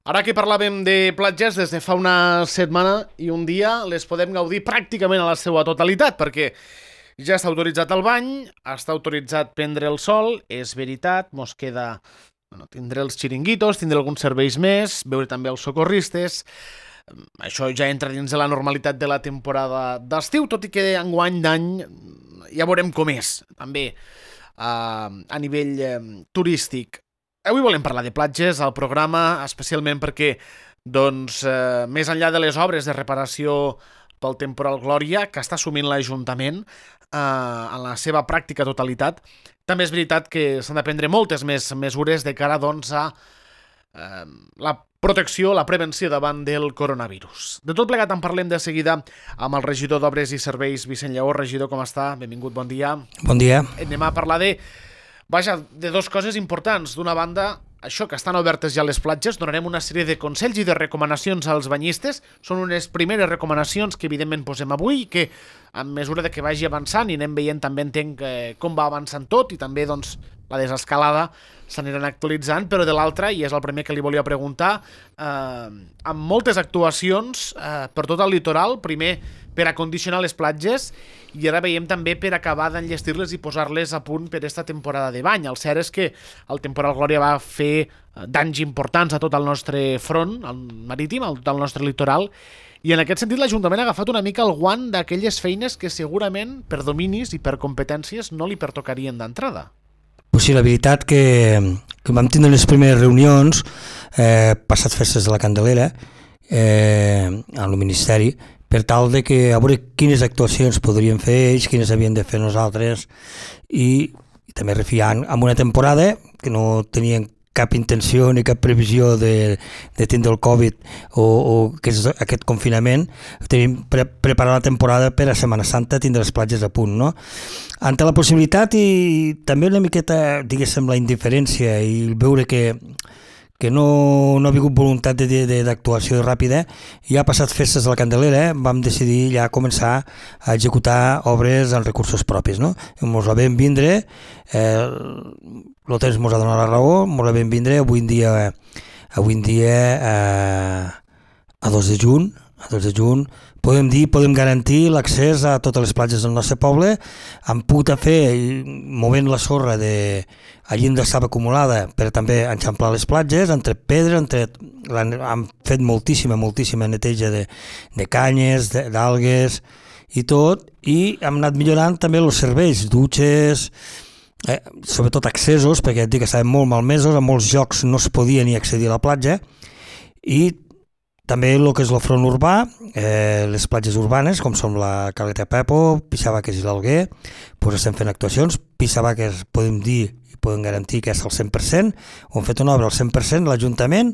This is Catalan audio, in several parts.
Ara que parlàvem de platges des de fa una setmana i un dia les podem gaudir pràcticament a la seva totalitat, perquè ja està autoritzat el bany, està autoritzat prendre el sol, és veritat, mos queda tindre els xiringuitos, tindre alguns serveis més, veure també els socorristes. Això ja entra dins de la normalitat de la temporada d'estiu, tot i que enguany d'any ja veurem com és, també a nivell turístic. Avui volem parlar de platges al programa, especialment perquè, més enllà de les obres de reparació pel temporal Glòria, que està assumint l'Ajuntament en la seva pràctica totalitat, també és veritat que s'han de prendre moltes més mesures de cara a la protecció, la prevenció davant del coronavirus. De tot plegat en parlem de seguida amb el regidor d'Obres i Serveis, Vicent Lleó. Regidor, com està? Benvingut, bon dia. Bon dia. Anem a parlar de dues coses importants. D'una banda, això, que estan obertes ja les platges, donarem una sèrie de consells i de recomanacions als banyistes. Són unes primeres recomanacions que evidentment posem avui i que, a mesura que vagi avançant i anem veient, també entenc com va avançant tot i també la desescalada s'aniran actualitzant, però de l'altra, i és el primer que li volia preguntar, amb moltes actuacions per tot el litoral, primer per acondicionar les platges i ara veiem també per acabar d'enllestir-les i posar-les a punt per esta temporada de bany. El cert és que el temporal Glòria va fer danys importants a tot el nostre front, el marítim, a tot el nostre litoral, i en aquest sentit l'Ajuntament ha agafat una mica el guant d'aquelles feines que segurament per dominis i per competències no li pertocarien d'entrada. Pues sí, la veritat que vam tindre les primeres reunions passat festes de la Candelera al Ministeri per tal de que a veure quines actuacions podríem fer ells, quines havien de fer nosaltres i també refiant en una temporada que no tenien cap intenció ni cap previsió de tindre el Covid o que és aquest confinament. Tenim preparar la temporada per a Setmana Santa tindre les platges a punt, no? Ante la possibilitat i també una miqueta, diguéssim, la indiferència i veure que no ha vingut voluntat d'actuació ràpida, ja ha passat festes de la Candelera, vam decidir ja començar a executar obres en recursos propis, no? Ens la vam vindre, el temps ens ha donat la raó, ens la vam vindre avui en dia a 2 de juny, podem garantir l'accés a totes les platges del nostre poble. Hem pogut fer, movent la sorra allí on estava acumulada per també enxamplar les platges, entre pedres, hem fet moltíssima neteja de canyes, d'algues i tot, i hem anat millorant també els serveis, dutxes, sobretot accessos, perquè et dic que estaven molt malmesos, a molts llocs no es podia ni accedir a la platja, i també el que és el front urbà, les platges urbanes, com són la Caleta Pepo, Pixavaques i l'Alguer, doncs estem fent actuacions. Pixavaques podem dir i podem garantir que és al 100%, hem fet una obra al 100% l'Ajuntament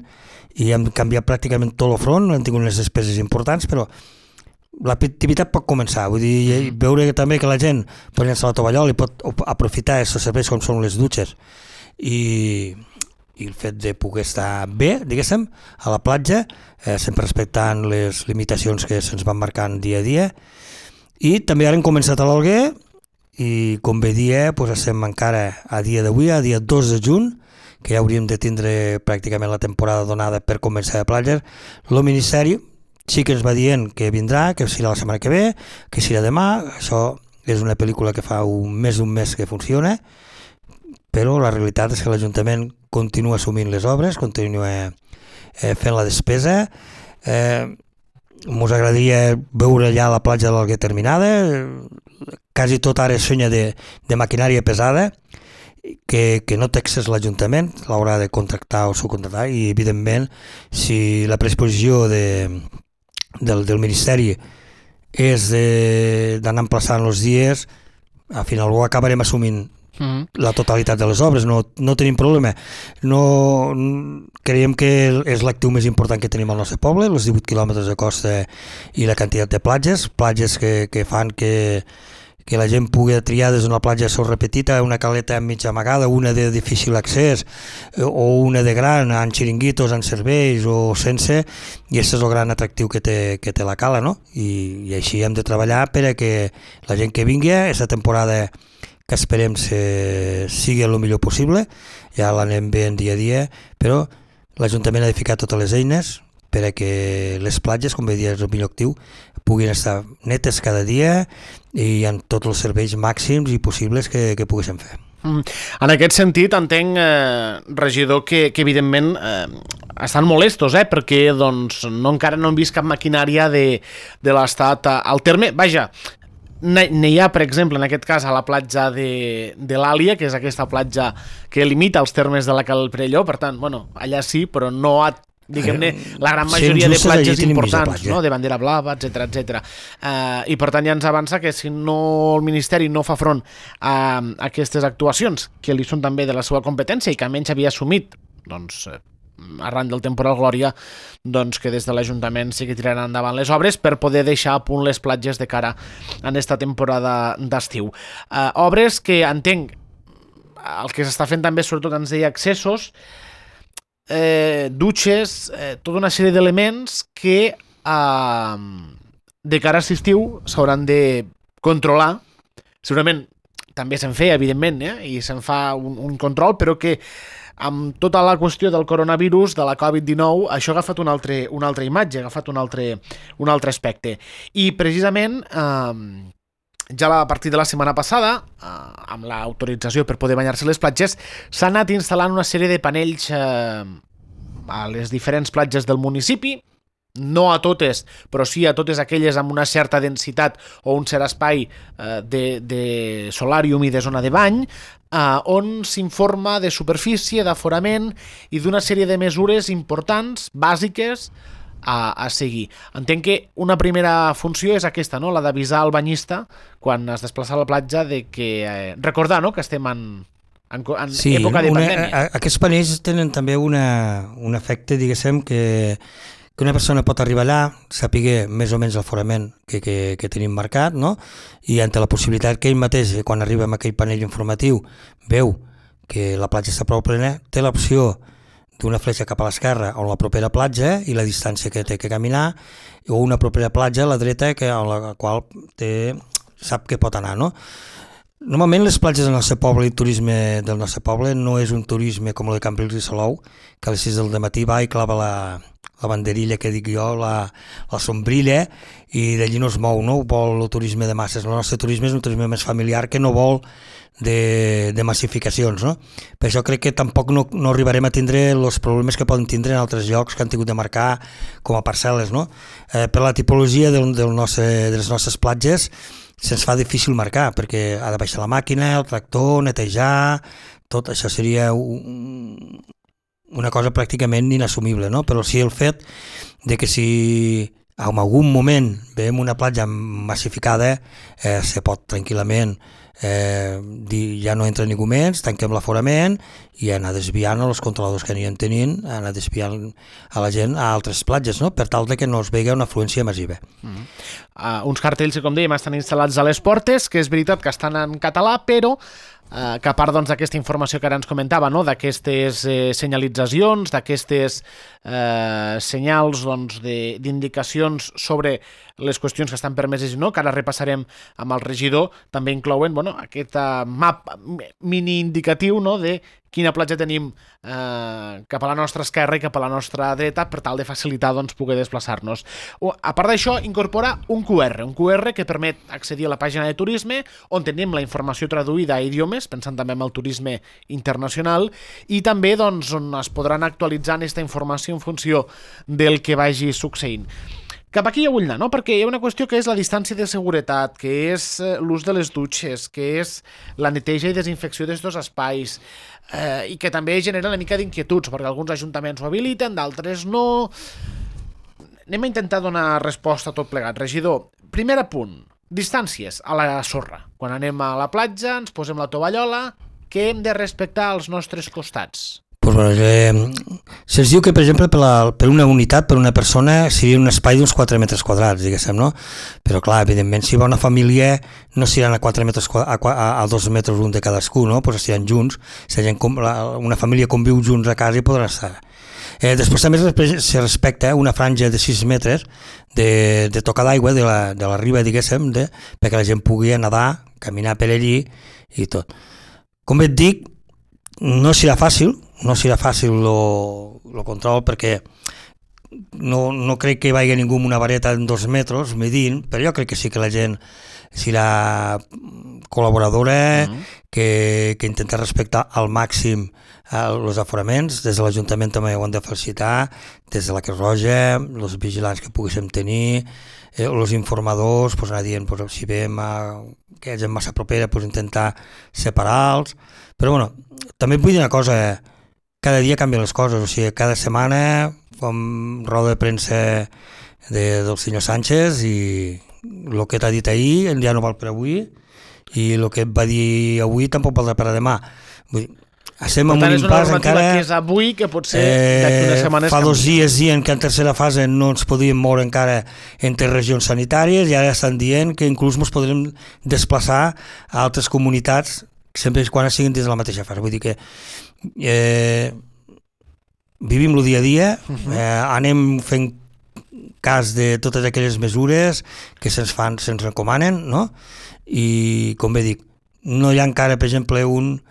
i hem canviat pràcticament tot el front, hem tingut unes despeses importants, però l'activitat pot començar, vull dir, veure també que la gent pot llançar la tovallola i pot aprofitar aquests serveis com són les dutxes i el fet de poder estar bé, diguéssim, a la platja, sempre respectant les limitacions que se'ns van marcant dia a dia. I també ara hem començat a l'Alguer i, com bé dia, estem encara a dia d'avui, a dia 2 de juny, que ja hauríem de tindre pràcticament la temporada donada per començar a platges. El Ministeri sí que ens va dient que vindrà, que serà la setmana que ve, que serà demà. Això és una pel·lícula que fa més d'un mes que funciona, però la realitat és que l'Ajuntament continua assumint les obres, continua fent la despesa. Ens agradaria veure ja la platja de l'Alguer terminada, quasi tot ara és feina de maquinària pesada, que no té accés l'Ajuntament, l'haurà de contractar o subcontractar, i evidentment si la predisposició del Ministeri és d'anar emplaçant els dies, al final ho acabarem assumint la totalitat de les obres, no tenim problema. Creiem que és l'actiu més important que tenim al nostre poble, els 18 quilòmetres de costa i la quantitat de platges que fan que la gent pugui triar des d'una platja sorra petita, una caleta mig amagada, una de difícil accés o una de gran, amb xiringuitos, amb serveis o sense, i aquest és el gran atractiu que té la cala, no? I així hem de treballar per a que la gent que vingui a aquesta temporada, que esperem sigui el millor possible, ja l'anem veient dia a dia, però l'Ajuntament ha de ficar totes les eines perquè les platges, com bé dir, és el millor actiu, puguin estar netes cada dia i amb tots els serveis màxims i possibles que poguéssim fer. En aquest sentit, entenc, regidor, que evidentment estan molestos, perquè doncs, encara no hem vist cap maquinària de l'Estat al terme. Vaja, n'hi ha, per exemple, en aquest cas, a la platja de l'Àlia, que és aquesta platja que limita els termes de la Cal Perelló, per tant, bueno, allà sí, però no ha, diguem-ne, la gran majoria de platges importants, no? De bandera blava, etc. I per tant ja ens avança que si no el Ministeri no fa front a aquestes actuacions, que li són també de la seva competència i que almenys havia assumit, doncs, arran del temporal Glòria, doncs que des de l'Ajuntament sí que tiraran endavant les obres per poder deixar a punt les platges de cara a aquesta temporada d'estiu. Obres que entenc, el que s'està fent també sobretot ens deia accessos, dutxes, tota una sèrie d'elements que de cara a l'estiu s'hauran de controlar. Segurament també se'n feia, evidentment, i se'n fa un control, però que amb tota la qüestió del coronavirus, de la Covid-19, això ha agafat una altra imatge, ha agafat un altre aspecte. I precisament ja a partir de la setmana passada, amb l'autorització per poder banyar-se a les platges, s'ha anat instal·lant una sèrie de panells a les diferents platges del municipi, no a totes, però sí a totes aquelles amb una certa densitat o un cert espai de solàrium i de zona de bany, on s'informa de superfície, d'aforament i d'una sèrie de mesures importants, bàsiques, a seguir. Entenc que una primera funció és aquesta, no? La d'avisar al banyista quan es desplaça a la platja de que recordar, no?, que estem en època de pandèmia. Aquests panells tenen també un efecte, diguéssim, que una persona pot arribar allà, sàpiga més o menys l'aforament que tenim marcat, no? I ante la possibilitat que ell mateix, quan arriba amb aquell panell informatiu, veu que la platja està prou plena, té l'opció d'una fletxa cap a l'esquerra o la propera platja i la distància que té que caminar, o una propera platja a la dreta a la qual sap que pot anar, no? Normalment les platges del nostre poble i el turisme del nostre poble no és un turisme com el de Cambrils i Salou, que a les 6 del matí va i clava la banderilla que dic jo, la sombrilla, i d'allí no es mou, no vol el turisme de masses. El nostre turisme és un turisme més familiar que no vol de massificacions, no? Per això crec que tampoc no arribarem a tindre els problemes que poden tindre en altres llocs que han tingut de marcar com a parcel·les, no? Per la tipologia de les nostres platges se'ns fa difícil marcar, perquè ha de baixar la màquina, el tractor, netejar, tot això seria una cosa pràcticament inassumible, no? Però sí el fet de que si en algun moment veiem una platja massificada, se pot tranquil·lament dir ja no entra ningú més, tanquem l'aforament i anar desviant els controladors que anirem tenint, anar desviant a la gent a altres platges, no? Per tal de que no es vegi una afluència massiva. Uns cartells que, com dèiem, estan instal·lats a les portes, que és veritat que estan en català, però que a part d'aquesta informació que ara ens comentava, d'aquestes senyalitzacions, d'aquestes senyals d'indicacions sobre les qüestions que estan permeses i no, que ara repassarem amb el regidor, també inclouen aquest map mini indicatiu de quina platja tenim cap a la nostra esquerra i cap a la nostra dreta per tal de facilitar poder desplaçar-nos. A part d'això, incorpora un QR que permet accedir a la pàgina de turisme on tenim la informació traduïda a idiomes, pensant també en el turisme internacional, i també on es podran actualitzar aquesta informació en funció del que vagi succeint. Cap aquí jo vull anar, perquè hi ha una qüestió que és la distància de seguretat, que és l'ús de les dutxes, que és la neteja i desinfecció d'estos espais, i que també genera una mica d'inquietuds, perquè alguns ajuntaments ho habiliten, d'altres no. Anem a intentar donar resposta a tot plegat. Regidor, primer apunt, distàncies a la sorra. Quan anem a la platja, ens posem la tovallola, què hem de respectar als nostres costats? Se'ns diu que, per exemple, per una unitat, per una persona, seria un espai d'uns 4 metres quadrats, diguéssim, no? Però, clar, evidentment, si va una família, no seran a 4 metres a 2 metres un de cadascú, no? Pues estaran junts, una família conviu junts a casa i podrà estar. Després també se respecta una franja de 6 metres de tocar d'aigua de la riba, diguéssim, perquè la gent pugui nedar, caminar per allí i tot. Com et dic, no serà fàcil, no serà fàcil el control perquè no crec que vagi ningú amb una vareta en 2 metres medint, però jo crec que sí que la gent serà col·laboradora, que intenta respectar al màxim els aforaments. Des de l'Ajuntament també ho han de felicitar, des de la Creu Roja, els vigilants que poguéssim tenir, els informadors, anar dient si veiem que hi ha gent massa propera, intentar separar-los. Però bueno, també et vull dir una cosa, cada dia canvien les coses, o sigui, cada setmana com roda de premsa del senyor Sánchez i el que t'ha dit ahir ja no val per avui i el que et va dir avui tampoc valdrà per a demà. Vull dir, estem en un impàs encara... que és avui, que pot ser d'aquí unes setmanes... Fa 2 dies dient que en tercera fase no ens podíem moure encara entre regions sanitàries i ara estan dient que inclús ens podrem desplaçar a altres comunitats sempre quan siguin dins de la mateixa fase. Vull dir que vivim el dia a dia, anem fent cas de totes aquelles mesures que se'ns recomanen, no? I com bé dic, no hi ha encara, per exemple, un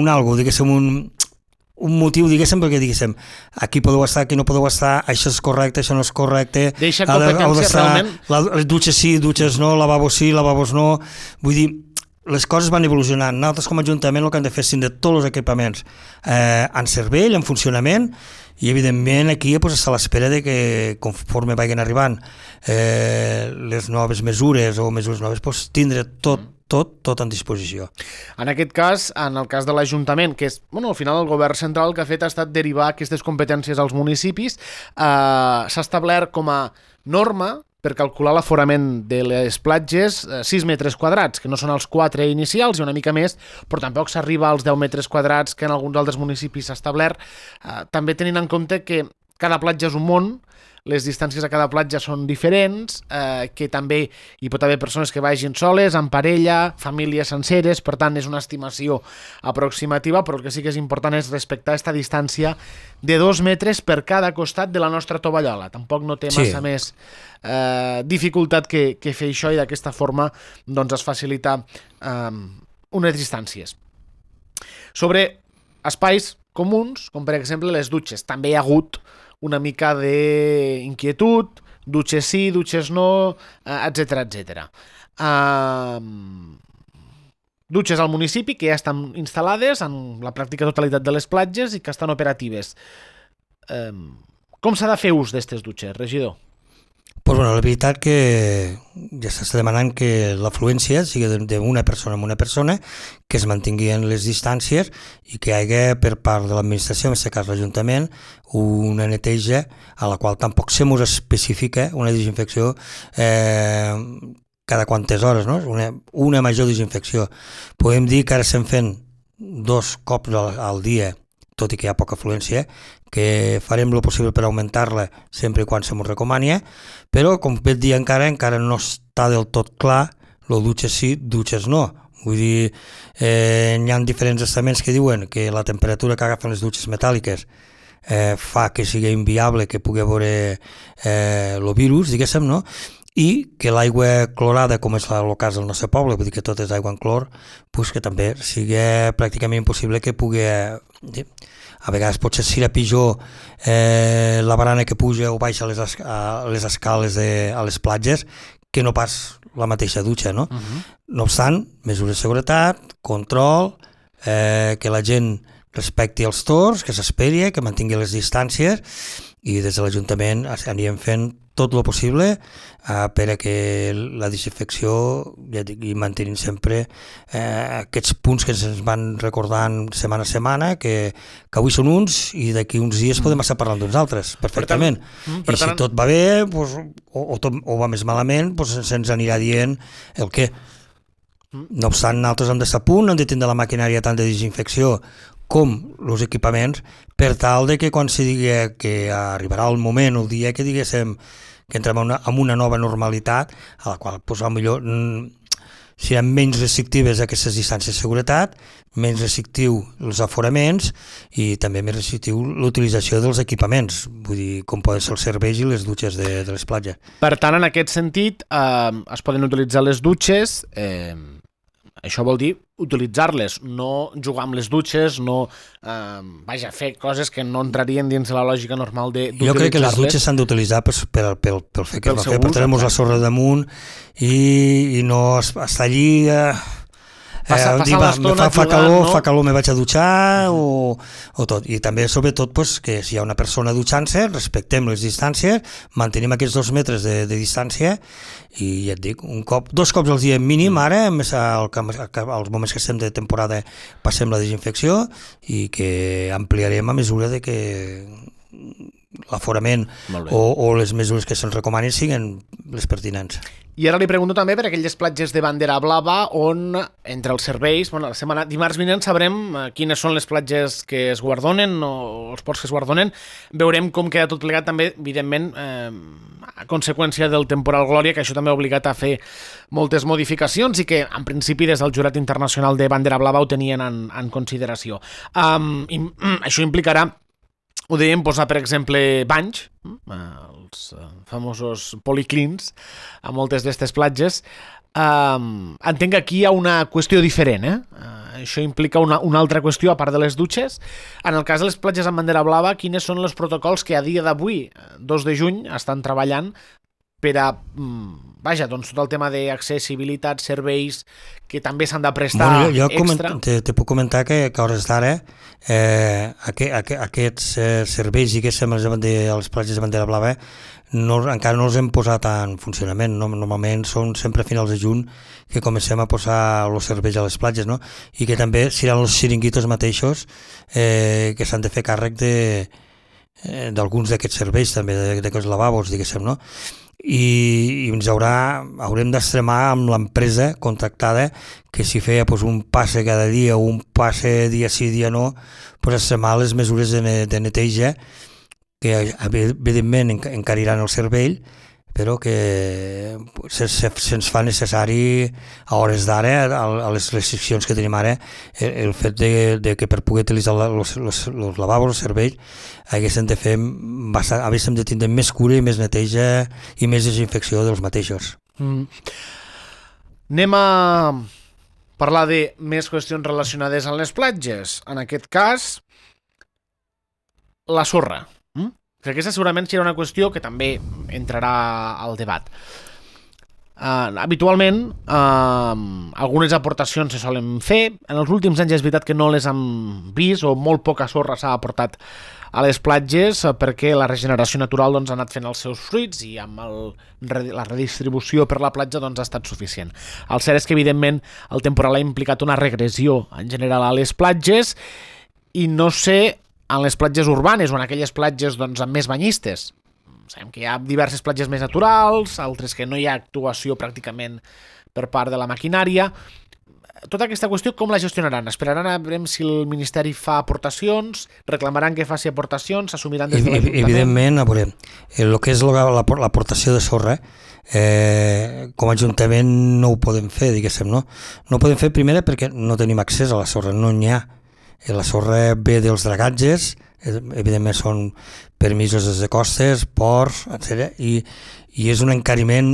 algo, diguéssim, un motiu, diguéssim, perquè diguéssim, aquí podeu estar, aquí no podeu estar, això és correcte, això no és correcte, deixa competències realment... Les dutxes sí, dutxes no, lavabos sí, lavabos no, vull dir, les coses van evolucionant. Nosaltres com a Ajuntament el que hem de fer és tindre tots els equipaments en servei, en funcionament, i evidentment aquí està a l'espera de que conforme vagin arribant les noves mesures o mesures noves, tindre tot en disposició. En aquest cas, en el cas de l'Ajuntament, que és, al final el govern central el que ha fet ha estat derivar aquestes competències als municipis, s'ha establert com a norma per calcular l'aforament de les platges 6 metres quadrats, que no són els 4 inicials i una mica més, però tampoc s'arriba als 10 metres quadrats que en alguns altres municipis s'ha establert, també tenint en compte que cada platja és un món, les distàncies a cada platja són diferents, que també hi pot haver persones que vagin soles, en parella, famílies senceres, per tant és una estimació aproximativa, però el que sí que és important és respectar aquesta distància de 2 metres per cada costat de la nostra tovallola. Tampoc no té massa més dificultat que fer això i d'aquesta forma es facilita unes distàncies. Sobre espais comuns, com per exemple les dutxes, també hi ha hagut una mica d'inquietud, dutxes sí, dutxes no, etc. Dutxes al municipi que ja estan instal·lades en la pràctica totalitat de les platges i que estan operatives. Com s'ha de fer ús d'aquestes dutxes, regidor? Pues la veritat que ja s'està demanant que l'afluència sigui d'una persona a una persona, que es mantinguin les distàncies i que hi hagi per part de l'administració, en aquest cas l'Ajuntament, una neteja a la qual tampoc se mos especifica una desinfecció cada quantes hores, no? Una major desinfecció. Podem dir que ara estem fent 2 cops al dia, tot i que hi ha poca afluència, que farem el possible per augmentar-la sempre quan se m'ho recomani, però com et dir encara no està del tot clar el dutxes sí, dutxes no. Vull dir, hi ha diferents estaments que diuen que la temperatura que agafen les dutxes metàl·liques fa que sigui inviable que pugui haver el virus, diguéssim, no? I que l'aigua clorada, com és el cas del nostre poble, vull dir que tot és aigua en clor, pues que també sigui pràcticament impossible que pugui... A vegades potser serà pitjor la barana que puja o baixa a les escales a les platges que no pas la mateixa dutxa, no? No obstant, mesures de seguretat, control, que la gent respecti els torns, que s'esperi, que mantingui les distàncies i des de l'Ajuntament anirem fent tot el possible per a que la desinfecció i mantenint sempre aquests punts que ens van recordant setmana a setmana, que avui són uns i d'aquí uns dies podem estar parlant d'uns altres, perfectament. I si tot va bé o va més malament, se'ns anirà dient el què. No obstant, nosaltres hem d'estar a punt, hem de tindre la maquinària tant de desinfecció com els equipaments, per tal de que quan se digui que arribarà el moment, el dia que diguéssim que entrem en una nova normalitat, a la qual potser seran menys restrictives aquestes distàncies de seguretat, menys restrictiu els aforaments i també més restrictiu l'utilització dels equipaments, vull dir, com poden ser els serveis i les dutxes de les platges. Per tant, en aquest sentit, es poden utilitzar les dutxes això vol dir utilitzar-les, no jugar amb les dutxes, no fer coses que no entrarien dins la lògica normal d'utilitzar-les. Jo crec que les dutxes s'han d'utilitzar pel fet que es va fer, per tenir-nos la sorra damunt i no estar allí... Passar l'estona jugant, fa calor, me vaig a dutxar o tot. I també, sobretot, que si hi ha una persona dutxant-se, respectem les distàncies, mantenim aquests 2 metres de distància i ja et dic, dos cops al dia mínim, ara, als moments que estem de temporada, passem la desinfecció i que ampliarem a mesura de que l'aforament o les mesures que se'ns recomanin siguin les pertinents. I ara li pregunto també per aquelles platges de bandera blava on, entre els serveis, la setmana dimarts vinent sabrem quines són les platges que es guardonen o els ports que es guardonen. Veurem com queda tot plegat també, evidentment, a conseqüència del temporal Glòria, que això també ha obligat a fer moltes modificacions i que, en principi, des del Jurat Internacional de Bandera Blava ho tenien en consideració. Això implicarà, ho dèiem, posar, per exemple, banys, els famosos policlins, a moltes d'aquestes platges. Entenc que aquí hi ha una qüestió diferent, Això implica una altra qüestió, a part de les dutxes. En el cas de les platges amb bandera blava, quins són els protocols que a dia d'avui, 2 de juny, estan treballant per a, tot el tema d'accessibilitat, serveis, que també s'han de prestar extra? Te puc comentar que a hores d'ara aquests serveis i aquests serveis a les platges de bandera blava encara no els hem posat en funcionament. Normalment són sempre a finals de juny que comencem a posar els serveis a les platges, no? I que també seran els xiringuitos mateixos que s'han de fer càrrec d'alguns d'aquests serveis, també d'aquests lavabos, diguéssim, no? I ens haurem d'extremar amb l'empresa contractada que si feia un passe cada dia o un passe dia sí, dia no, extremar les mesures de neteja que evidentment encariran el servei, però que se'ns fa necessari a hores d'ara, a les restriccions que tenim ara, el fet de que per poder utilitzar els lavabos, els serveis, haguéssim de tindre més cura i més neteja i més desinfecció dels mateixos. Anem a parlar de més qüestions relacionades amb les platges. En aquest cas, la sorra. Que aquesta segurament serà una qüestió que també entrarà al debat. Habitualment, algunes aportacions se solen fer. En els últims anys és veritat que no les hem vist o molt poca sorra s'ha aportat a les platges perquè la regeneració natural ha anat fent els seus fruits i amb la redistribució per la platja ha estat suficient. El cert és que, evidentment, el temporal ha implicat una regressió en general a les platges i no sé en les platges urbanes o en aquelles platges amb més banyistes. Sabem que hi ha diverses platges més naturals, altres que no hi ha actuació pràcticament per part de la maquinària. Tota aquesta qüestió com la gestionaran? Esperaran a veure si el Ministeri fa aportacions, reclamaran que faci aportacions, s'assumiran des de l'Ajuntament? Evidentment, a veure, el que és l'aportació de sorra, com a Ajuntament no ho podem fer, diguéssim, no? No ho podem fer primer perquè no tenim accés a la sorra, no n'hi ha. La sorra ve dels dragatges, evidentment són permisos des de costes, ports, etc. I és un encariment,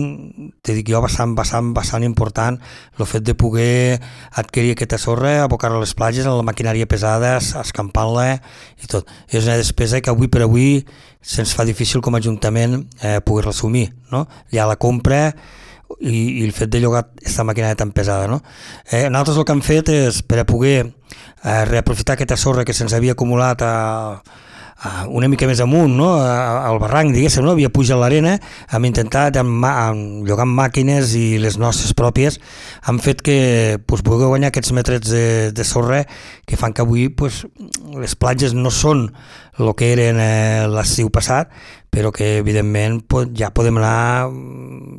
te dic jo, bastant important el fet de poder adquirir aquesta sorra, abocar-la a les platges, en la maquinària pesada, escampant-la i tot. És una despesa que avui per avui se'ns fa difícil com a Ajuntament poder-la assumir, no? Ja la compra i el fet de llogar aquesta maquinària tan pesada, no? Nosaltres el que hem fet és, per a poder reaprofitar aquesta sorra que se'ns havia acumulat una mica més amunt, no? Al barranc, diguéssim, no? Havia pujat l'arena, hem intentat llogar màquines i les nostres pròpies, han fet que pugueu guanyar aquests metres de sorra que fan que avui les platges no són el que eren l'estiu passat, però que evidentment ja podem anar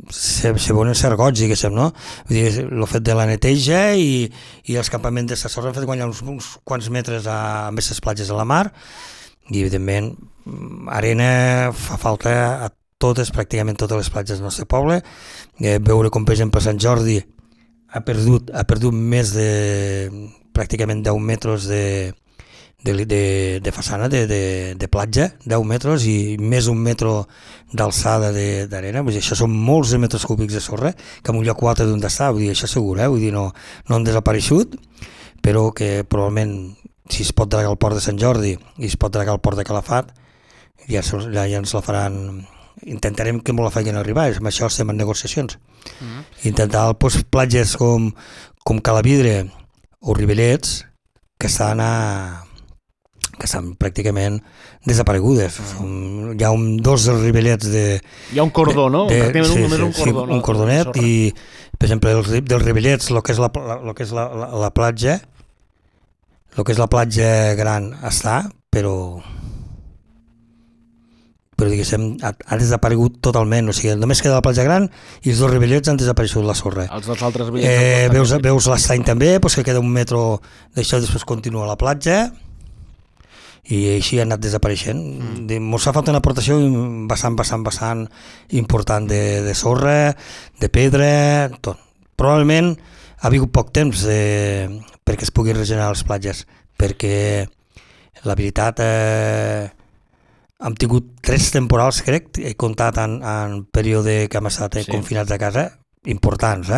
se volen ser goig, diguéssim, no? Vull dir, el fet de la neteja i els campaments de la sorra han fet guanyar uns quants metres a aquestes platges de la mar i evidentment arena fa falta a pràcticament totes les platges del nostre poble. Veure com, per exemple, Sant Jordi ha perdut més de pràcticament 10 metres de façana de platja, 10 metres i més un metro d'alçada d'arena. Vull dir, això són molts de metres cúbics de sorra que en un lloc o altre d'on està, vull dir, això segur, vull dir, no han desapareixut, però que probablement si es pot dragar al port de Sant Jordi i es pot dragar al port de Calafat, ja ens la faran. Intentarem que me la facin arribar, amb això estem en negociacions. Intentar platges com Calavidre o Ribellets que estan pràcticament desaparegudes. Hi ha dos dels Ribellets hi ha un cordó, no? Un cordonet, i per exemple dels Ribellets el que és la platja, el que és la platja gran està, però diguéssim ha desaparegut totalment, o sigui, només queda la platja gran i els dos Ribellets han desaparegut la sorra. Els dos altres Ribellets veus l'estany també, que queda un metro d'això, després continua la platja i així ha anat desapareixent. Mos ha faltat una aportació bastant important de sorra, de pedra, tot. Probablement ha hagut poc temps perquè es puguin regenerar les platges, perquè la veritat hem tingut 3 temporals, crec, he comptat en període que hem estat confinats a casa, importants,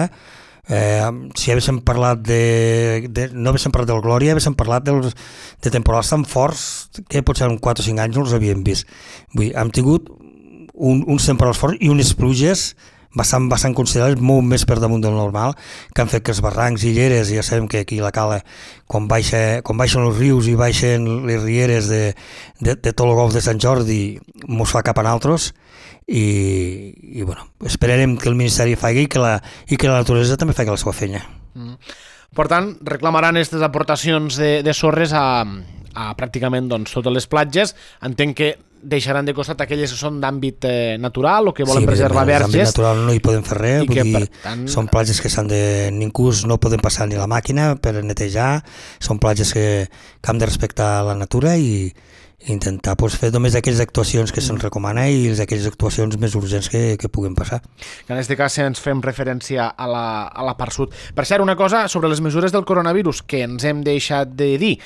si haguéssim parlat no haguéssim parlat del Glòria, haguéssim parlat de temporals tan forts que potser en 4 o 5 anys no els havíem vist. Vull dir, hem tingut uns temporals forts i unes pluges bastant considerades, molt més per damunt del normal, que han fet que els barrancs i lleres, ja sabem que aquí la Cala, quan baixen els rius i baixen les rieres de tot el golf de Sant Jordi, mos fa cap a nosaltres, i bueno, esperarem que el Ministeri faci i que la naturalesa també faci la seva feina. Per tant, reclamaran aquestes aportacions de sorres a pràcticament totes les platges. Entenc que deixaran de costat aquelles que són d'àmbit natural o que volen preservar verges. D'àmbit natural no hi podem fer res, són platges que ningú no poden passar ni la màquina per netejar, són platges que hem de respectar la natura i intentar fer només aquelles actuacions que se'ns recomana i aquelles actuacions més urgents que puguen passar. En aquest cas ens fem referència a la part sud. Per cert, una cosa sobre les mesures del coronavirus que ens hem deixat de dir,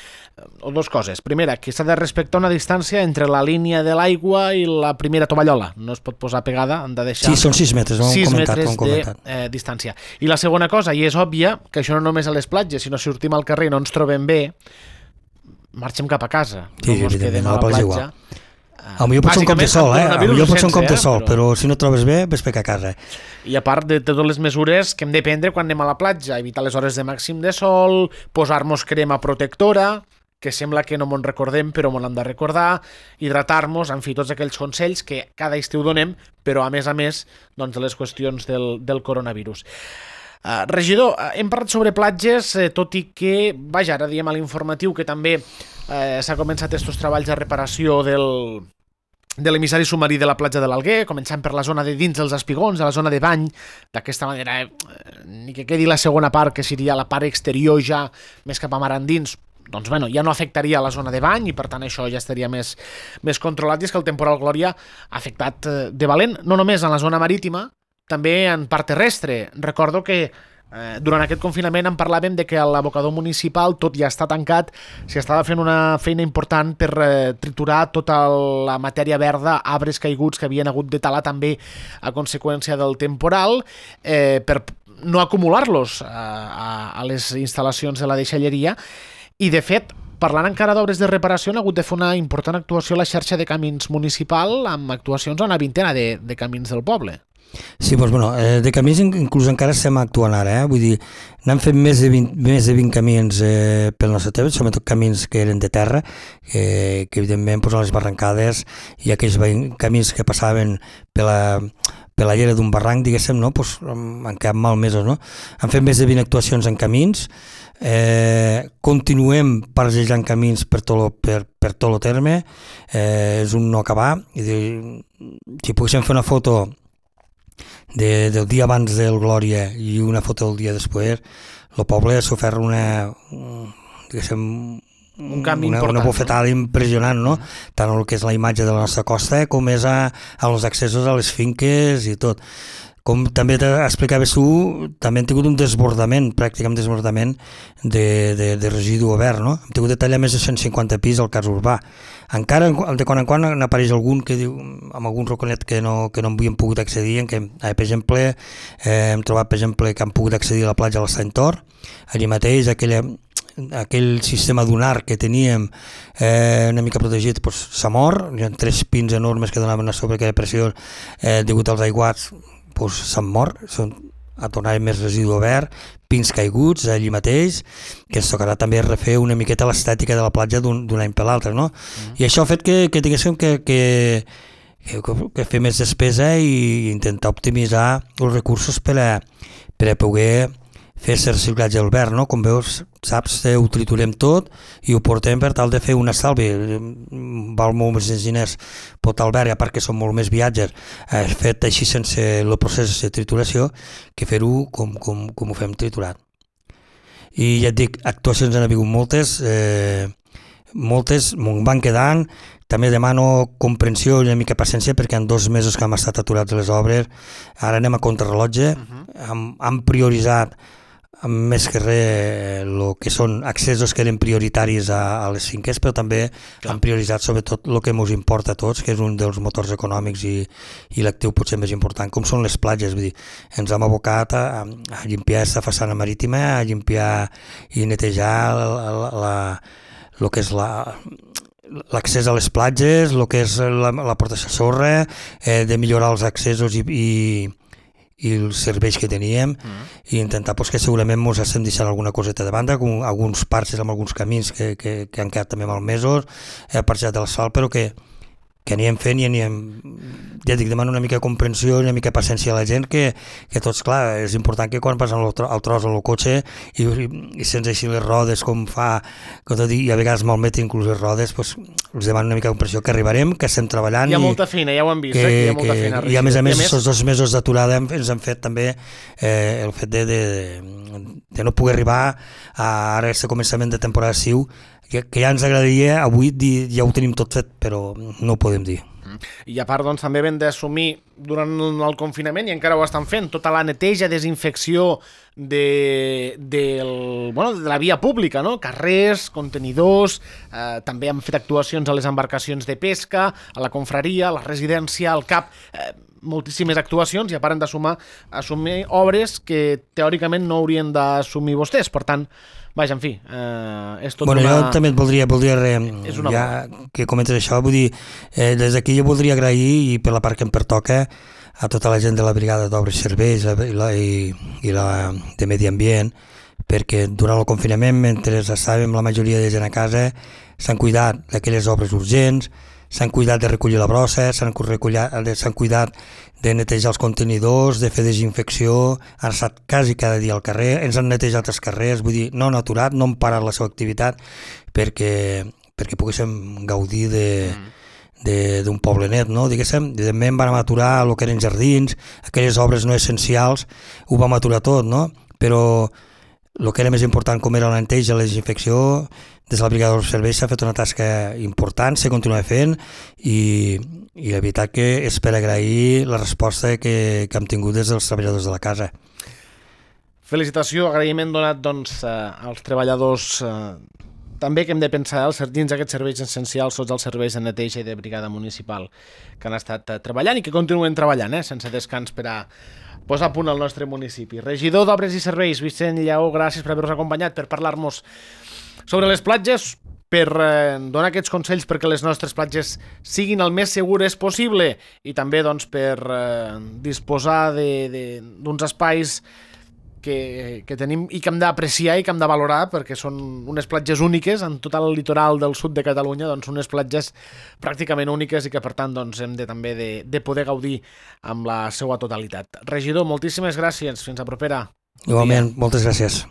o dues coses. Primera, que s'ha de respectar una distància entre la línia de l'aigua i la primera tovallola. No es pot posar pegada, han de deixar... Sí, són 6 metres, ho hem comentat. 6 metres de distància. I la segona cosa, i és òbvia, que això no només a les platges, sinó si sortim al carrer i no ens trobem bé, marxem cap a casa. Sí, no evidentment, a la platja igual. Potser pot ser un cop de sol, potser pot ser un cop de sol, però si no et trobes bé, ves per a casa. I a part de totes les mesures que hem de prendre quan anem a la platja, evitar les hores de màxim de sol, posar-nos crema protectora, que sembla que no me'n recordem, però me'n hem de recordar, hidratar-nos, en fi, tots aquells consells que cada estiu donem, però a més, de les qüestions del coronavirus. Regidor, hem parlat sobre platges, tot i que, vaja, ara diem a l'informatiu que també s'ha començat aquests treballs de reparació de l'emissari submarí de la platja de l'Alguer, començant per la zona de dins dels espigons, de la zona de bany. D'aquesta manera, ni que quedi la segona part, que seria la part exterior ja més cap a mar endins, doncs bueno, ja no afectaria la zona de bany i per tant això ja estaria més controlat. I és que el temporal Glòria ha afectat de valent, no només en la zona marítima, també en part terrestre. Recordo que durant aquest confinament en parlàvem de que a l'abocador municipal tot ja està tancat, s'hi estava fent una feina important per triturar tota la matèria verda, arbres caiguts que havien hagut de talar també a conseqüència del temporal, per no acumular-los a les instal·lacions de la deixalleria. I de fet, parlant encara d'obres de reparació, han hagut de fer una important actuació a la xarxa de camins municipal amb actuacions a una vintena de camins del poble. Sí, doncs, de camins inclús encara estem actuant ara, vull dir, n'han fet més de 20 camins pel nostre temps, sobretot camins que eren de terra, que evidentment a les barrancades i aquells camins que passaven per la llera d'un barranc, diguéssim, no? Han quedat malmesos, no? Han fet més de 20 actuacions en camins, continuem parejant camins per tot el terme, és un no acabar, si poguéssim fer una foto del dia abans del Glòria i una foto del dia després, el poble ha sofert un canvi important, una bufetada impressionant, no? Tant el que és la imatge de la nostra costa com és als accessos a les finques i tot. Com també explicaves tu, també hem tingut un desbordament, pràcticament desbordament de residu obert, no? Hem tingut de tallar més de 150 pis al cas urbà. Encara de quan en quan n'apareix algun que diu, amb algun roconet que no havien pogut accedir, en què, per exemple, hem trobat, per exemple, que han pogut accedir a la platja de l'Estany Tor, allí mateix, aquell sistema dunar que teníem una mica protegit s'ha mort, hi ha 3 pins enormes que donaven a sobre aquella pressió degut als aiguats, s'han mort, a tornar més residu obert, pins caiguts allí mateix, que ens tocarà també refer una miqueta l'estètica de la platja d'un any per l'altre, no? I això ha fet que tinguéssim que fer més despesa i intentar optimitzar els recursos per a poder fer cert reciclatge al verd, no? Com veus, saps, ho triturem tot i ho portem per tal de fer un estalvi. Val molt més diners portar al verd, a part que són molt més viatges, fet així sense el procés de trituració, que fer-ho com ho fem triturat. I ja et dic, actuacions han hagut moltes me'n van quedant. També demano comprensió i una mica paciència perquè en 2 mesos que hem estat aturats les obres, ara anem a contrarrellotge, hem prioritzat més que res el que són accessos que eren prioritaris a les finques, però també han prioritzat sobretot el que ens importa a tots, que és un dels motors econòmics i l'actiu potser més important, com són les platges. Vull dir, ens hem abocat a limpiar aquesta façana marítima, a limpiar i netejar el que és l'accés a les platges, el que és la protecció de sorra, de millorar els accessos i els serveis que teníem i intentar que segurament ens estem deixant alguna coseta de banda, alguns parxes amb alguns camins que han quedat també malmesos, parxat de l'asfalt, però que anirem fent i anirem, ja dic, demano una mica de comprensió i una mica de paciència a la gent, que tots, clar, és important que quan passen el tros al cotxe i sents així les rodes com fa, i a vegades malmet inclús les rodes, els demano una mica de comprensió, que arribarem, que estem treballant. Hi ha molta feina, ja ho hem vist, que hi ha molta feina. I a més, aquests 2 mesos d'aturada ens han fet també el fet de no poder arribar a ara aquest començament de temporada estiu, que ja ens agradaria avui dir ja ho tenim tot fet, però no ho podem dir. I a part, doncs, també vam d'assumir durant el confinament, i encara ho estan fent, tota la neteja, desinfecció de la via pública, no? Carrers, contenidors, també hem fet actuacions a les embarcacions de pesca, a la confraria, a la residència, al CAP, moltíssimes actuacions, i a part hem d'assumir obres que teòricament no haurien d'assumir vostès, per tant, vaja, en fi, és tot jo també et voldria ja que comentes això, vull dir, des d'aquí jo voldria agrair, i per la part que em pertoca, a tota la gent de la Brigada d'Obres i Serveis i la de Medi Ambient, perquè durant el confinament, mentre estàvem la majoria de gent a casa, s'han cuidat d'aquelles obres urgents, s'han cuidat de recollir la brossa, s'han cuidat de netejar els contenidors, de fer desinfecció, han estat quasi cada dia al carrer, ens han netejat els carrers, vull dir, no han aturat, no han parat la seva activitat perquè poguéssim gaudir d'un poble net, no? Diguéssim, evidentment vam aturar el que eren jardins, aquelles obres no essencials, ho vam aturar tot, no? Però el que era més important, com era la neteja, la desinfecció, des de la Brigada dels Serveis s'ha fet una tasca important, se continua fent, i la veritat que és per agrair la resposta que hem tingut des dels treballadors de la casa. Felicitació, agraïment donat doncs, als treballadors també que hem de pensar dins aquests serveis essencials, tots els serveis de neteja i de brigada municipal que han estat treballant i que continuen treballant, sense descans per a posar a punt el nostre municipi. Regidor d'Obres i Serveis, Vicent Lleó, gràcies per haver-nos acompanyat, per parlar-nos sobre les platges, per donar aquests consells perquè les nostres platges siguin el més segures possible i també doncs, per disposar d'uns espais que tenim i que hem d'apreciar i que hem de valorar perquè són unes platges úniques en tot el litoral del sud de Catalunya, doncs unes platges pràcticament úniques i que per tant doncs, hem també de poder gaudir amb la seva totalitat. Regidor, moltíssimes gràcies, fins a propera. Igualment, moltes gràcies.